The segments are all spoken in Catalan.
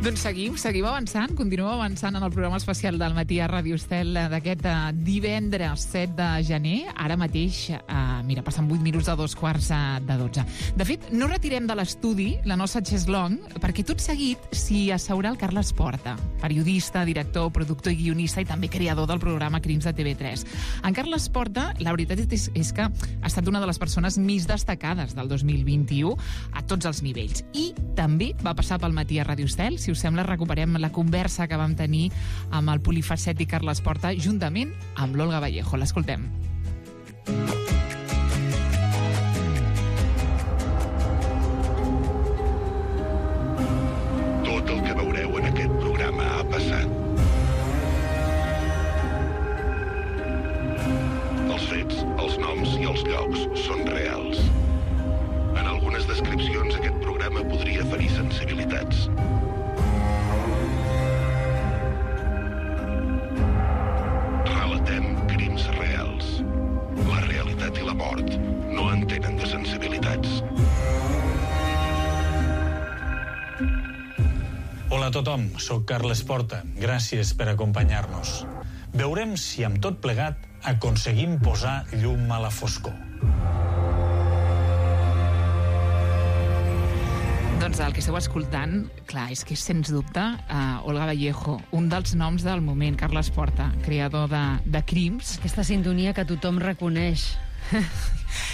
Doncs seguim avançant, continuem avançant en el programa especial del Matí a Ràdio Estel d'aquest divendres 7 de gener. Ara mateix, mira, passen 8 minuts de 2:15. De fet, no retirem de l'estudi la nostra Cheslong, perquè tot seguit s'hi asseurà el Carles Porta, periodista, director, productor i guionista i també creador del programa Crims de TV3. En Carles Porta, la veritat és que ha estat una de les persones més destacades del 2021 a tots els nivells. I també va passar pel Matí a Ràdio Estel. Si us sembla, recuperem la conversa que vam tenir amb el polifacètic Carles Porta juntament amb l'Olga Vallejo. L'escoltem. Tot el que veureu en aquest programa ha passat. Els fets, els noms i els llocs són reals. En algunes descripcions aquest programa podria ferir sensibilitats. Relatem crims reals. La realitat i la mort no entenen de sensibilitats. Hola a tothom, soc Carles Porta. Gràcies per acompanyar-nos. Veurem si amb tot plegat aconseguim posar llum a la foscor. Doncs el que esteu escoltant, clar, és que sens dubte Olga Vallejo, un dels noms del moment, Carles Porta, creador de Crims. Aquesta sintonia que tothom reconeix.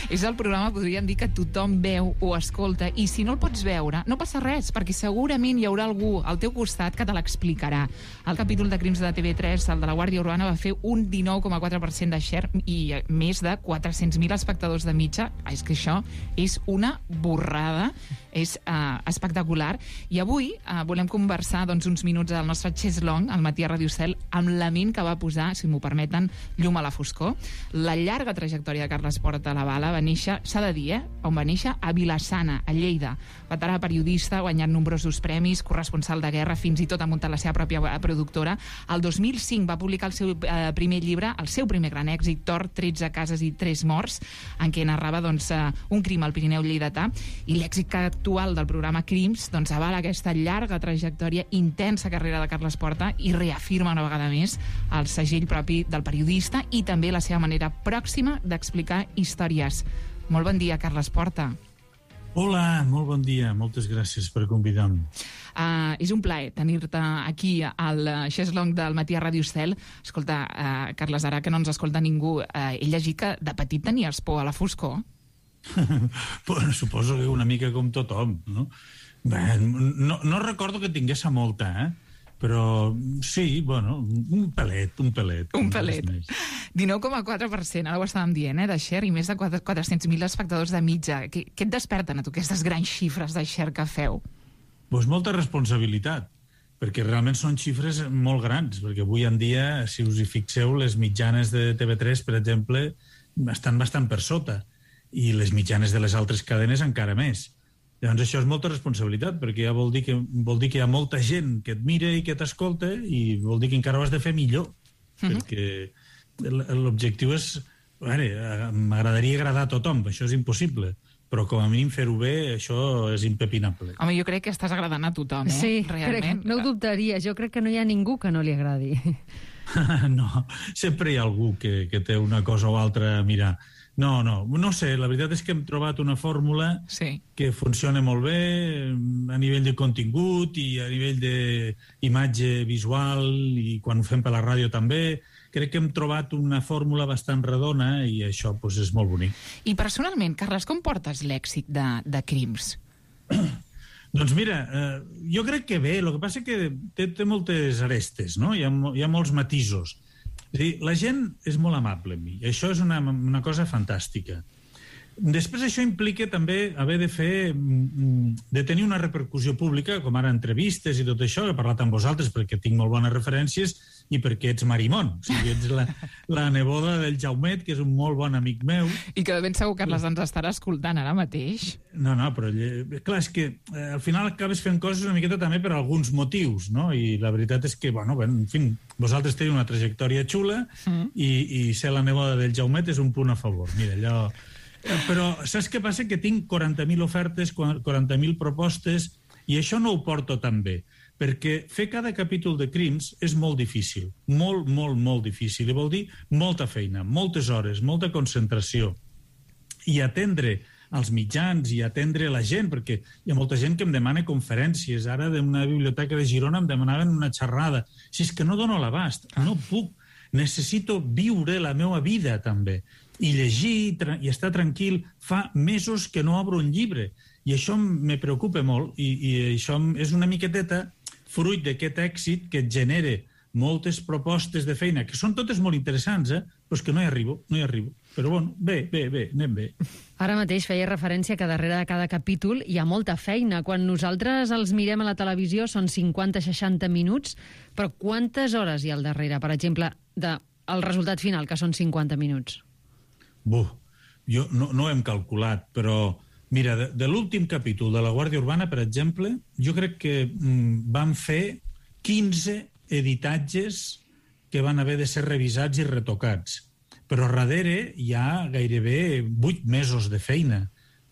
És el programa, podríem dir, que tothom veu o escolta, i si no el pots veure, no passa res, perquè segurament hi haurà algú al teu costat que te l'explicarà. El capítol de Crims de TV3, el de la Guàrdia Urbana, va fer un 19,4% de share i més de 400.000 espectadors de mitja. És que això és una borrada, és espectacular. I avui volem conversar uns minuts al nostre Cheslong, al Matí a Ràdio Estel, amb la ment que va posar, si m'ho permeten, llum a la foscor. La llarga trajectòria de Carles Porta a la Bala va néixer, s'ha de dir, on va néixer? A Vila-sana, a Lleida. Veterà periodista, guanyant nombrosos premis, corresponsal de guerra, fins i tot ha muntat la seva pròpia productora. El 2005 va publicar el seu primer llibre, el seu primer gran èxit, Tor, 13 cases i 3 morts, en què narrava un crim al Pirineu lleidatà, i l'èxit actual del programa Crims avala aquesta llarga trajectòria, intensa carrera de Carles Porta i reafirma una vegada més el segell propi del periodista i també la seva manera pròxima d'explicar històries. Molt bon dia, Carles Porta. Hola, molt bon dia. Moltes gràcies per convidar-me. És un plaer tenir-te aquí al Cheslong del Matí a Ràdio Estel. Escolta, Carles, ara que no ens escolta ningú, he llegit que de petit tenies por a la foscor. Bueno, suposo que una mica com tothom, no? Bé, no recordo que tingués molta, però sí, bueno, un pelet. Un pelet. 19,4%, ara ho estàvem dient, de share, i més de 400.000 espectadors de mitja. Què et desperten a tu aquestes grans xifres de share que feu? Doncs molta responsabilitat, perquè realment són xifres molt grans, perquè avui en dia, si us hi fixeu, les mitjanes de TV3, per exemple, estan bastant per sota, i les mitjanes de les altres cadenes encara més. Llavors això és molta responsabilitat, perquè ja vol dir que hi ha molta gent que et mira i que t'escolta, i vol dir que encara ho has de fer millor, perquè l'objectiu és... M'agradaria agradar a tothom, això és impossible, però com a mínim fer-ho bé, això és impepinable. Home, jo crec que estàs agradant a tothom, Sí, realment. no ho dubtaria, jo crec que no hi ha ningú que no li agradi. No, sempre hi ha algú que té una cosa o altra a mirar. No sé, la veritat és que hem trobat una fórmula que funciona molt bé a nivell de contingut i a nivell d'imatge visual, i quan ho fem per la ràdio també. Crec que hem trobat una fórmula bastant redona i això és molt bonic. I personalment, Carles, com portes l'èxit de Crims? Doncs mira, jo crec que bé, el que passa que té moltes arestes, no? Hi ha molts matisos. És a dir, la gent és molt amable amb mi, i això és una cosa fantàstica. Després això implica també haver de tenir una repercussió pública, com ara entrevistes i tot això. He parlat amb vosaltres perquè tinc molt bones referències i perquè ets Marimon, o sigui, ets la neboda del Jaumet, que és un molt bon amic meu. I que de ben segur, Carles, ens estarà escoltant ara mateix. No, però clar, és que al final acabes fent coses una miqueta també per alguns motius, no? I la veritat és que, en fi, vosaltres teniu una trajectòria xula i ser la neboda del Jaumet és un punt a favor. Mira, allò... Però saps què passa? Que tinc 40.000 ofertes, 40.000 propostes, i això no ho porto tan bé, perquè fer cada capítol de Crims és molt difícil, molt, molt, molt difícil, i vol dir molta feina, moltes hores, molta concentració, i atendre als mitjans i atendre la gent, perquè hi ha molta gent que em demana conferències. Ara d'una biblioteca de Girona em demanaven una xerrada. Si és que no dono l'abast, no puc. Necessito viure la meva vida, també. I llegir i estar tranquil. Fa mesos que no obro un llibre. I això me preocupa molt. I això és una miqueteta fruit d'aquest èxit que et genera moltes propostes de feina, que són totes molt interessants, però és que no hi arribo. Però bueno, bé, anem bé. Ara mateix feia referència que darrere de cada capítol hi ha molta feina. Quan nosaltres els mirem a la televisió són 50-60 minuts, però quantes hores hi ha al darrere, per exemple, del resultat final, que són 50 minuts? Jo no ho hem calculat, però mira, de l'últim capítol de La Guàrdia Urbana, per exemple, jo crec que vam fer 15 editatges que van haver de ser revisats i retocats. Però darrere hi ha gairebé 8 mesos de feina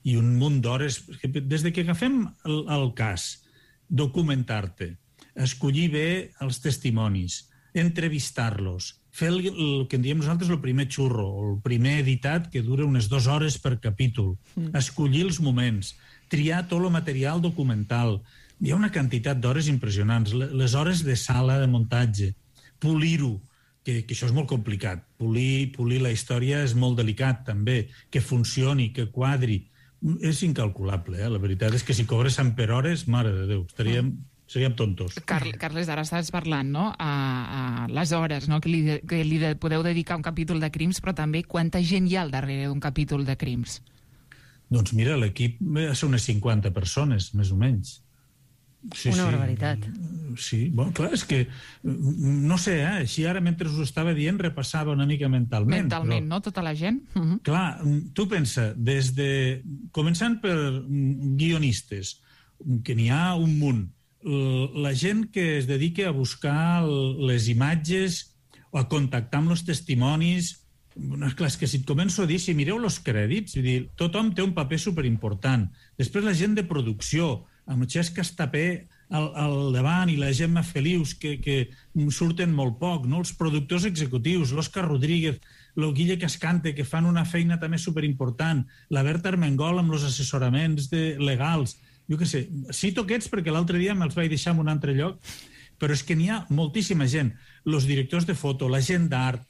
i un munt d'hores. Des que agafem el cas, documentar-te, escollir bé els testimonis, entrevistar-los, fer el que en diem nosaltres el primer xurro, el primer editat que dura unes 2 hores per capítol, escollir els moments, triar tot el material documental. Hi ha una quantitat d'hores impressionants. Les hores de sala de muntatge, polir-ho, que això és molt complicat. Polir la història és molt delicat, també. Que funcioni, que quadri. És incalculable, La veritat és que si cobréssim per hores, mare de Déu, seríem tontos. Carles, ara estàs parlant, no?, a les hores, no?, que li podeu dedicar un capítol de Crims, però també quanta gent hi ha al darrere d'un capítol de Crims? Doncs mira, l'equip són unes 50 persones, més o menys. Una barbaritat. Sí, bueno, clar, és que no sé, així ara mentre us ho estava dient repassava una mica mentalment. Mentalment, no? Tota la gent? Clar, tu pensa, començant per guionistes, que n'hi ha un munt, la gent que es dedica a buscar les imatges o a contactar amb els testimonis. Clar, és que si et començo a dir, si mireu els crèdits, tothom té un paper superimportant. Després la gent de producció, amb Xesc Estapé al davant i la Gemma Felius, que surten molt poc, no? Els productors executius, l'Òscar Rodríguez, el Guille Cascante, que fan una feina també superimportant, la Berta Armengol amb els assessoraments legals. Jo què sé, cito aquests perquè l'altre dia me'ls vaig deixar en un altre lloc, però és que n'hi ha moltíssima gent. Els directors de foto, la gent d'art,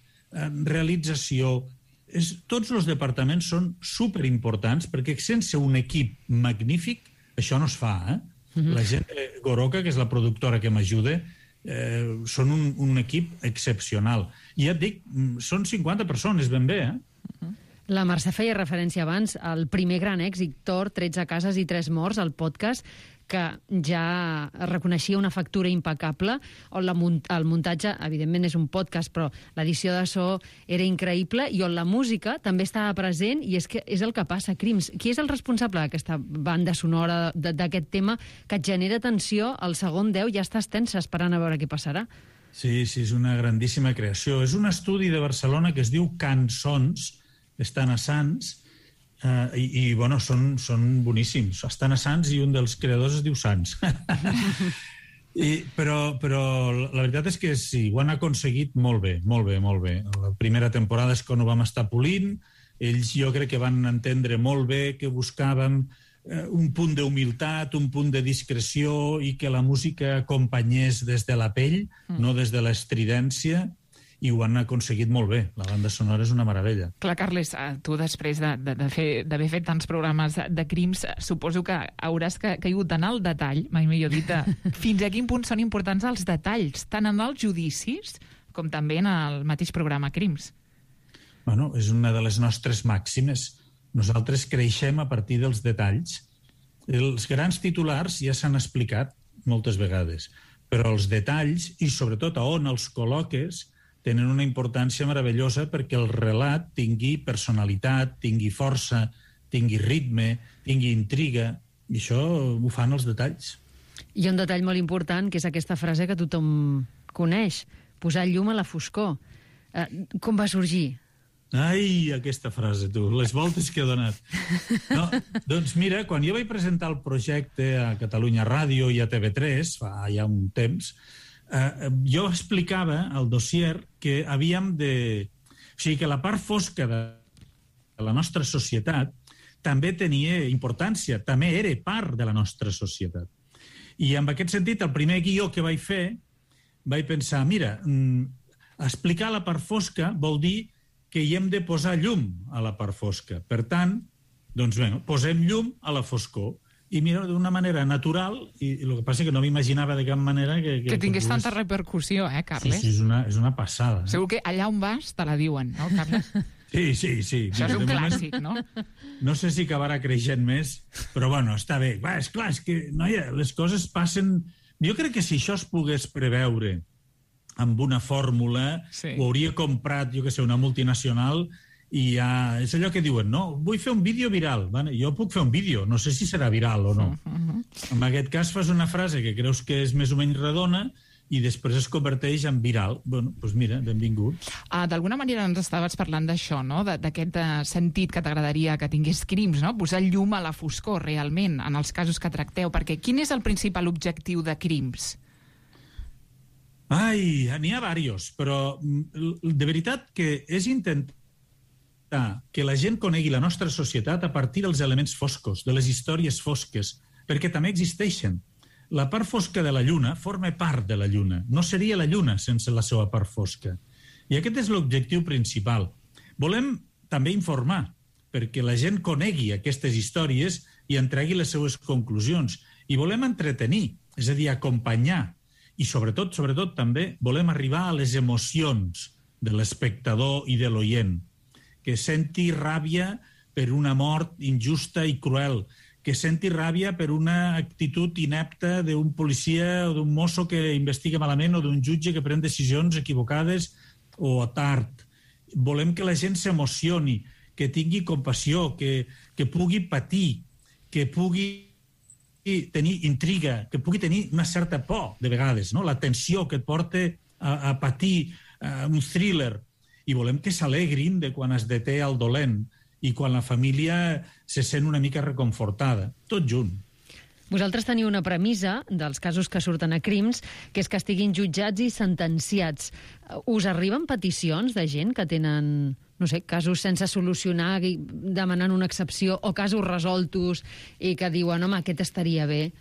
realització, tots els departaments són superimportants perquè sense un equip magnífic això no es fa, La gent de Goroca, que és la productora que m'ajuda, són un equip excepcional. I ja et dic, són 50 persones, ben bé, La Mercè feia referència abans al primer gran èxit, Thor, 13 cases i 3 morts, el podcast, que ja reconeixia una factura impecable, on el muntatge, evidentment és un podcast, però l'edició de so era increïble, i on la música també estava present, i és que és el que passa, Crims. Qui és el responsable d'aquesta banda sonora, d'aquest tema, que et genera tensió, al segon 10 ja estàs tensa esperant a veure què passarà? Sí, és una grandíssima creació. És un estudi de Barcelona que es diu Cançons, estan a Sants, i bueno, són boníssims. Estan a Sants i un dels creadors es diu Sants. Però la veritat és que sí, ho han aconseguit molt bé. La primera temporada és quan ho vam estar polint. Ells jo crec que van entendre molt bé que buscàvem un punt d'humilitat, un punt de discreció i que la música acompanyés des de la pell, no des de l'estridència, i ho han aconseguit molt bé. La banda sonora és una meravella. Clar, Carles, tu després d'haver fet tants programes de Crims, suposo que hauràs caigut en el detall, mai millor dit, fins a quin punt són importants els detalls, tant en els judicis com també en el mateix programa Crims. Bueno, és una de les nostres màximes. Nosaltres creixem a partir dels detalls. Els grans titulars ja s'han explicat moltes vegades, però els detalls, i sobretot a on els col·loques, tenen una importància meravellosa perquè el relat tingui personalitat, tingui força, tingui ritme, tingui intriga, i això ho fan els detalls. Hi ha un detall molt important, que és aquesta frase que tothom coneix, posar llum a la foscor. Com va sorgir? Ai, aquesta frase, tu, les voltes que he donat. No, doncs mira, quan jo vaig presentar el projecte a Catalunya Ràdio i a TV3, fa ja un temps, jo explicava al dossier que havíem de... O sigui, que la part fosca de la nostra societat també tenia importància, també era part de la nostra societat. I en aquest sentit, el primer guió que vaig fer, vaig pensar, mira, explicar la part fosca vol dir que hi hem de posar llum a la part fosca. Per tant, doncs bé, posem llum a la foscor. I mira, d'una manera natural, i el que passa és que no m'imaginava de cap manera que tingués tanta repercussió, Carles? Sí, és una passada. Segur que allà on vas te la diuen, no, Carles? Sí. Això és un clàssic, no? No sé si acabarà creixent més, però bueno, està bé. És clar, és que, noia, les coses passen... Jo crec que si això es pogués preveure amb una fórmula, ho hauria comprat, jo què sé, una multinacional, i ja... És allò que diuen, no? Vull fer un vídeo viral. Jo puc fer un vídeo, no sé si serà viral o no. En aquest cas fas una frase que creus que és més o menys redona i després es converteix en viral. Bueno, doncs mira, benvingut. D'alguna manera ens estaves parlant d'això, no? D'aquest sentit que t'agradaria que tingués Crims, no? Posar llum a la foscor, realment, en els casos que tracteu. Perquè quin és el principal objectiu de Crims? Ai, n'hi ha diversos, però de veritat que és intentar que la gent conegui la nostra societat a partir dels elements foscos, de les històries fosques, perquè també existeixen. La part fosca de la Lluna forma part de la Lluna. No seria la Lluna sense la seva part fosca. I aquest és l'objectiu principal. Volem també informar, perquè la gent conegui aquestes històries i en tregui les seues conclusions. I volem entretenir, és a dir, acompanyar. I sobretot també volem arribar a les emocions de l'espectador i de l'oient, que senti ràbia per una mort injusta i cruel, que senti ràbia per una actitud inepta d'un policia o d'un mosso que investiga malament o d'un jutge que pren decisions equivocades o tard. Volem que la gent s'emocioni, que tingui compassió, que pugui patir, que pugui tenir intriga, que pugui tenir una certa por, de vegades, no? La tensió que et porta a patir un thriller. I volem que s'alegrin de quan es deté el dolent i quan la família se sent una mica reconfortada. Tot junt. Vosaltres teniu una premissa dels casos que surten a Crims, que és que estiguin jutjats i sentenciats. Us arriben peticions de gent que tenen, no sé, casos sense solucionar, demanant una excepció, o casos resoltos i que diuen, home, aquest estaria bé?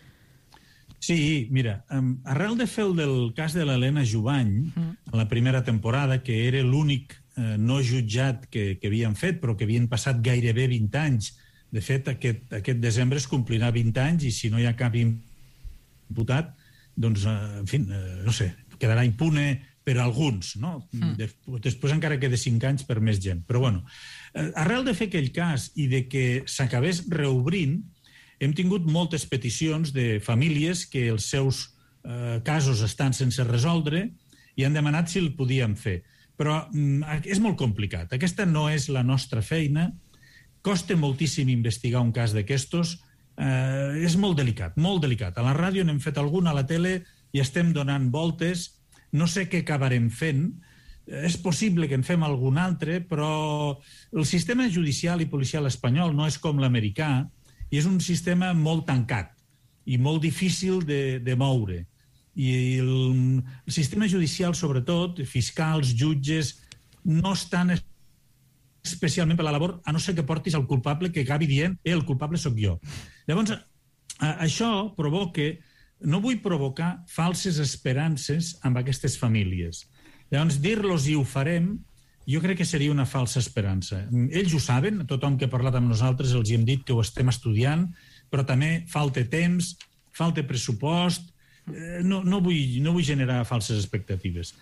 Sí, mira, arrel de fer el del cas de l'Helena Jubany, en la primera temporada, que era l'únic no jutjat que havien fet, però que havien passat gairebé 20 anys. De fet, aquest desembre es complirà 20 anys i si no hi ha cap imputat, doncs, en fi, no sé, quedarà impune per alguns, no? Després encara queda 5 anys per més gent. Però, bueno, arrel de fer aquell cas i de que s'acabés reobrint, hem tingut moltes peticions de famílies que els seus casos estan sense resoldre i han demanat si el podíem fer. Però és molt complicat. Aquesta no és la nostra feina. Costa moltíssim investigar un cas d'aquestos. És molt delicat, molt delicat. A la ràdio n'hem fet algun, a la tele i estem donant voltes. No sé què acabarem fent. És possible que en fem algun altre, però el sistema judicial i policial espanyol no és com l'americà i és un sistema molt tancat i molt difícil de moure. I el sistema judicial, sobretot, fiscals, jutges, no estan especialment per la labor, a no ser que portis el culpable que acabi dient el culpable sóc jo. Llavors, això provoca... No vull provocar falses esperances amb aquestes famílies. Llavors, dir-los i ho farem, jo crec que seria una falsa esperança. Ells ho saben, tothom que ha parlat amb nosaltres els hi hem dit que ho estem estudiant, però també falta temps, falta pressupost. No vull generar falses expectatives.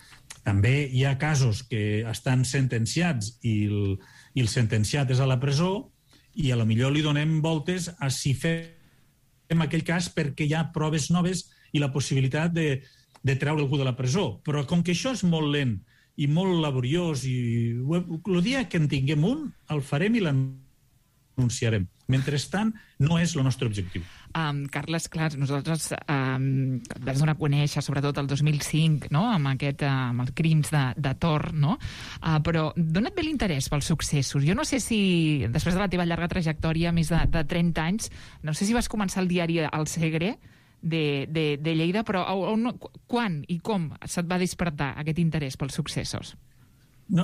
També hi ha casos que estan sentenciats i el sentenciat és a la presó i a lo millor li donem voltes a si fem aquell cas perquè hi ha proves noves i la possibilitat de treure algú de la presó. Però com que això és molt lent i molt laboriós i el dia que en tinguem un, el farem i denunciarem. Mentrestant, no és el nostre objectiu. Carles, clar, nosaltres vas donar a conèixer, sobretot el 2005, no? amb els crims de Tor, no? Però d'on et ve l'interès pels successos? Jo no sé si, després de la teva llarga trajectòria, més de 30 anys, no sé si vas començar el diari El Segre de Lleida, però quan i com se't va despertar aquest interès pels successos? No,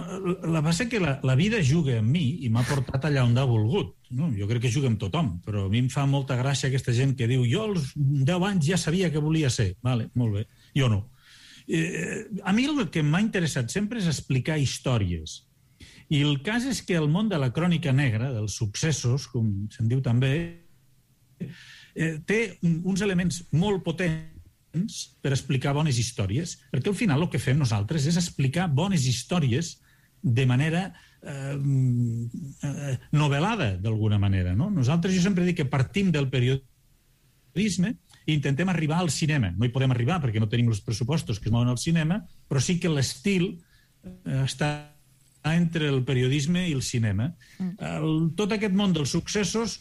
la base que la vida juga amb mi i m'ha portat allà on ha volgut. No? Jo crec que juga amb tothom, però a mi em fa molta gràcia aquesta gent que diu jo als 10 anys ja sabia que volia ser. Vale, molt bé, jo no. A mi el que m'ha interessat sempre és explicar històries. I el cas és que el món de la crònica negra, dels successos, com se'n diu també, té uns elements molt potents per explicar bones històries, perquè al final el que fem nosaltres és explicar bones històries de manera novel·lada, d'alguna manera. No? Nosaltres, jo sempre dic que partim del periodisme i intentem arribar al cinema. No hi podem arribar perquè no tenim els pressupostos que es mouen al cinema, però sí que l'estil està entre el periodisme i el cinema. Tot aquest món dels successos,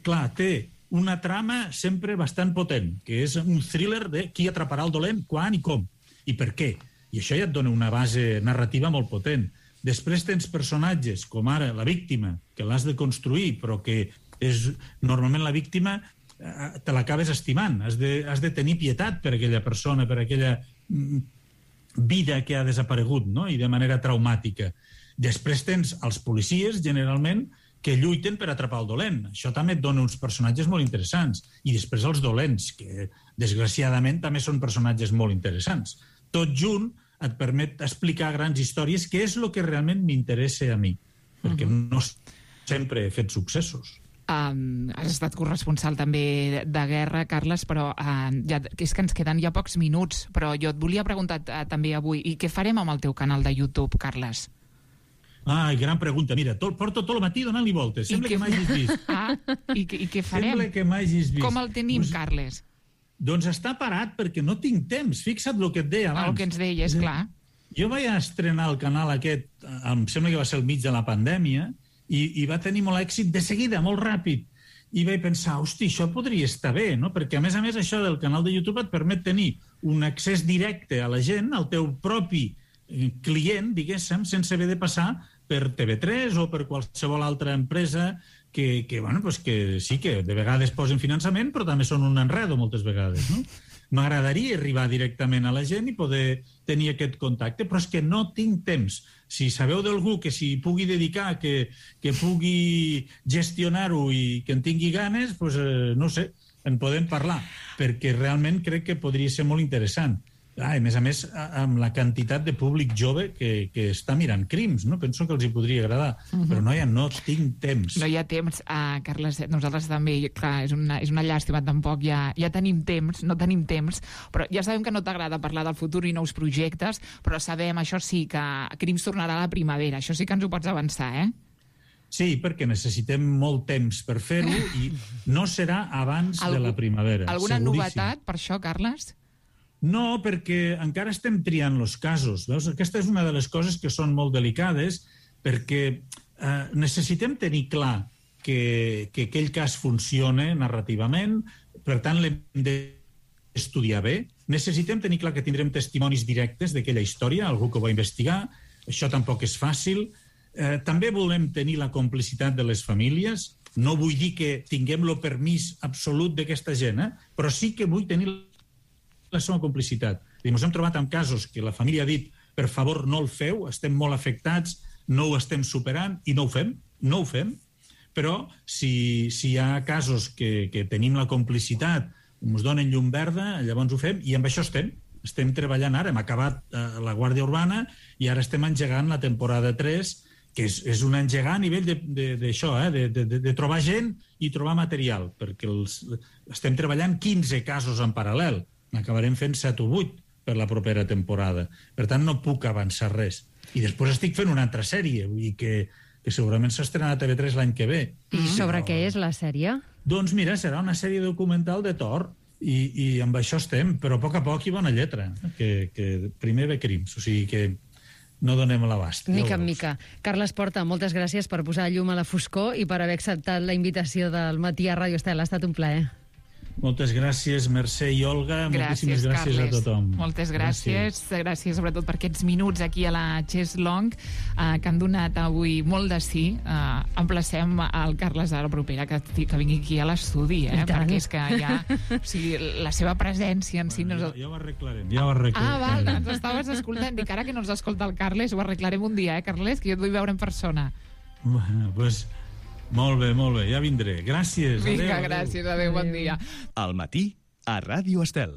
clar, té una trama sempre bastant potent, que és un thriller de qui atraparà el dolent, quan i com, i per què. I això ja et dona una base narrativa molt potent. Després tens personatges, com ara la víctima, que l'has de construir, però que és normalment la víctima te l'acabes estimant. Has de tenir pietat per aquella persona, per aquella vida que ha desaparegut, no? I de manera traumàtica. Després tens els policies, generalment, que lluiten per atrapar el dolent. Això també et dona uns personatges molt interessants. I després els dolents, que desgraciadament també són personatges molt interessants. Tot junt et permet explicar grans històries, que és el que realment m'interessa a mi, perquè no sempre he fet successos. Has estat corresponsal també de guerra, Carles, però és que ens queden ja pocs minuts, però jo et volia preguntar també avui, i què farem amb el teu canal de YouTube, Carles? Gran pregunta. Mira, porto tot el matí donant-li voltes. Sembla que m'hagis vist. I què farem? Sembla que m'hagis vist. Com el tenim, Carles? Doncs està parat perquè no tinc temps. Fixa't el que et deia abans. El que ens deies, clar. Jo vaig estrenar el canal aquest, em sembla que va ser al mig de la pandèmia, i va tenir molt èxit de seguida, molt ràpid. I vaig pensar, hosti, això podria estar bé, no? Perquè, a més, això del canal de YouTube et permet tenir un accés directe a la gent, al teu propi client, diguéssim, sense haver de passar per TV3 o per qualsevol altra empresa que sí que de vegades posen finançament, però també són un enredo moltes vegades, no? M'agradaria arribar directament a la gent i poder tenir aquest contacte, però és que no tinc temps. Si sabeu d'algú que s'hi pugui dedicar, que pugui gestionar-ho i que en tingui ganes, doncs, no sé, en podem parlar, perquè realment crec que podria ser molt interessant. A més, amb la quantitat de públic jove que està mirant crims, no? Penso que els hi podria agradar, però no tinc temps. No hi ha temps, Carles, nosaltres també, clar, és una llàstima, tampoc ja tenim temps, no tenim temps, però ja sabem que no t'agrada parlar del futur i nous projectes, però sabem, això sí, que Crims tornarà a la primavera, això sí que ens ho pots avançar, eh? Sí, perquè necessitem molt temps per fer-ho i no serà abans de la primavera. Alguna novetat per això, Carles? No, perquè encara estem triant els casos. Veus? Aquesta és una de les coses que són molt delicades, perquè necessitem tenir clar que aquell cas funciona narrativament, per tant l'hem d'estudiar bé. Necessitem tenir clar que tindrem testimonis directes d'aquella història, algú que ho va investigar. Això tampoc és fàcil. També volem tenir la complicitat de les famílies. No vull dir que tinguem el permís absolut d'aquesta gent, però sí que vull tenir la seva complicitat. Ens hem trobat amb casos que la família ha dit per favor no el feu, estem molt afectats, no ho estem superant i no ho fem, però si hi ha casos que tenim la complicitat, ens donen llum verda, llavors ho fem i amb això estem treballant ara. Hem acabat la Guàrdia Urbana i ara estem engegant la temporada 3, que és un engegar a nivell d'això, de trobar gent i trobar material, perquè estem treballant 15 casos en paral·lel. N'acabarem fent 7 o 8 per la propera temporada. Per tant, no puc avançar res. I després estic fent una altra sèrie, vull dir que segurament s'estrenarà a TV3 l'any que ve. I sobre què és la sèrie? Doncs mira, serà una sèrie documental de Tor, i amb això estem, però a poc hi va una lletra, que primer ve Crims. O sigui que no donem l'abast. Mica en mica. Carles Porta, moltes gràcies per posar llum a la foscor i per haver acceptat la invitació del Matí a Ràdio Estel. Ha estat un plaer. Moltes gràcies, Mercè i Olga. Moltíssimes gràcies Carles. a tothom. Moltes gràcies. Gràcies sobretot per aquests minuts aquí a la Chess Long que han donat avui molt de sí. Emplacem el Carles a la propera que vingui aquí a l'estudi, perquè és que ja... O sigui, la seva presència en si... Ja ho arreglarem, ja ho arreglarem. Ah, val, ens estaves escoltant. Dic, ara que no ens escolta el Carles, ho arreglarem un dia, Carles, que jo et vull veure en persona. Bueno, doncs... Molt bé, ja vindré. Gràcies. Vinga, gràcies, adéu, bon dia. Al matí, a Ràdio Estel.